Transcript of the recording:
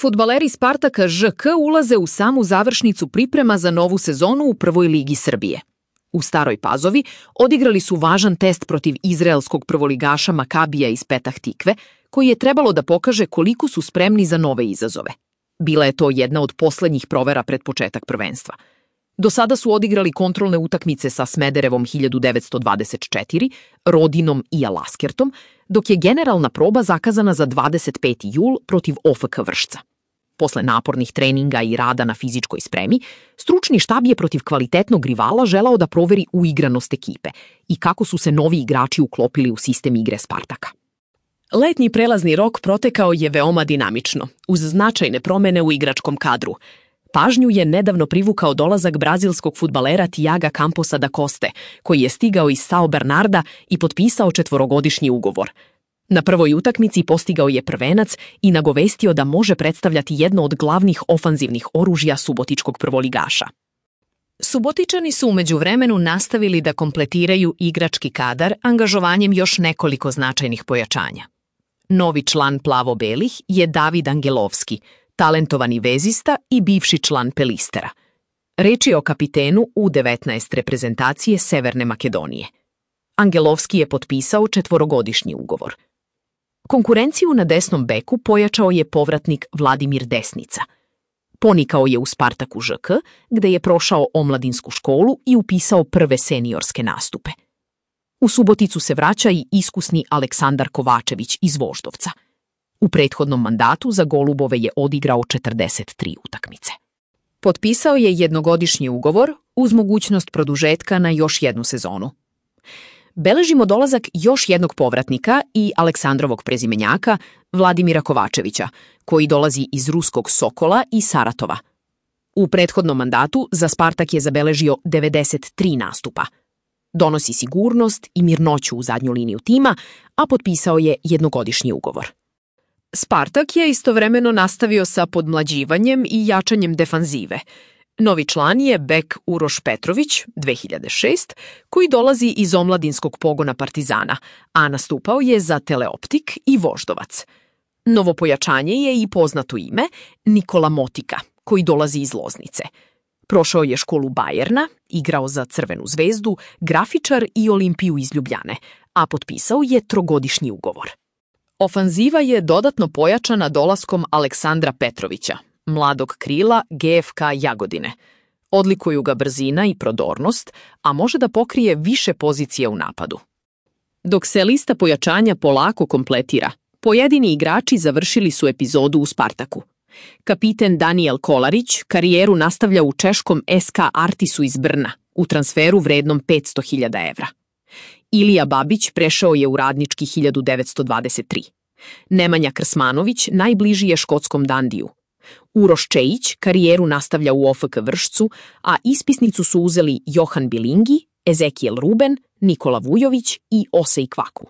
Fudbaleri Spartaka ŽK ulaze u samu završnicu priprema za novu sezonu u prvoj ligi Srbije. U Staroj Pazovi odigrali su važan test protiv izraelskog prvoligaša Makabija iz Petah Tikve, koji je trebalo da pokaže koliko su spremni za nove izazove. Bila je to jedna od poslednjih provera pred početak prvenstva. Do sada su odigrali kontrolne utakmice sa Smederevom 1924, Rodinom i Alaskertom, dok je generalna proba zakazana za 25. jul protiv OFK Vršca. Posle napornih treninga i rada na fizičkoj spremi, stručni štab je protiv kvalitetnog rivala želao da proveri uigranost ekipe i kako su se novi igrači uklopili u sistem igre Spartaka. Letnji prelazni rok protekao je veoma dinamično, uz značajne promene u igračkom kadru. Pažnju je nedavno privukao dolazak brazilskog fudbalera Tiaga Camposa da Coste, koji je stigao iz Sao Bernarda i potpisao 4-godišnji ugovor. Na prvoj utakmici postigao je prvenac i nagovestio da može predstavljati jedno od glavnih ofanzivnih oružja subotičkog prvoligaša. Subotičani su u međuvremenu nastavili da kompletiraju igrački kadar angažovanjem još nekoliko značajnih pojačanja. Novi član plavo-belih je David Angelovski, talentovani vezista i bivši član Pelistera. Reč je o kapitenu U19 reprezentacije Severne Makedonije. Angelovski je potpisao 4-godišnji ugovor. Konkurenciju na desnom beku pojačao je povratnik Vladimir Desnica. Ponikao je u Spartaku ŽK, gde je prošao omladinsku školu i upisao prve seniorske nastupe. U Suboticu se vraća i iskusni Aleksandar Kovačević iz Voždovca. U prethodnom mandatu za Golubove je odigrao 43 utakmice. Potpisao je 1-godišnji ugovor uz mogućnost produžetka na još jednu sezonu. Beležimo dolazak još jednog povratnika i Aleksandrovog prezimenjaka, Vladimira Kovačevića, koji dolazi iz ruskog Sokola i Saratova. U prethodnom mandatu za Spartak je zabeležio 93 nastupa. Donosi sigurnost i mirnoću u zadnju liniju tima, a potpisao je 1-godišnji ugovor. Spartak je istovremeno nastavio sa podmlađivanjem i jačanjem defanzive. Novi član je bek Uroš Petrović, 2006, koji dolazi iz omladinskog pogona Partizana, a nastupao je za Teleoptik i Voždovac. Novo pojačanje je i poznato ime Nikola Motika, koji dolazi iz Loznice. Prošao je školu Bajerna, igrao za Crvenu zvezdu, Grafičar i Olimpiju iz Ljubljane, a potpisao je 3-godišnji ugovor. Ofanziva je dodatno pojačana dolaskom Aleksandra Petrovića, mladog krila GFK Jagodine. Odlikuju ga brzina i prodornost, a može da pokrije više pozicije u napadu. Dok se lista pojačanja polako kompletira, pojedini igrači završili su epizodu u Spartaku. Kapiten Daniel Kolarić karijeru nastavlja u češkom SK Artisu iz Brna, u transferu vrednom 500.000 evra. Ilija Babić prešao je u Radnički 1923. Nemanja Krsmanović najbliži je škotskom Dandiju. Uroš Čejić karijeru nastavlja u OFK Vršcu, a ispisnicu su uzeli Johan Bilingi, Ezekiel Ruben, Nikola Vujović i Osej Kvaku.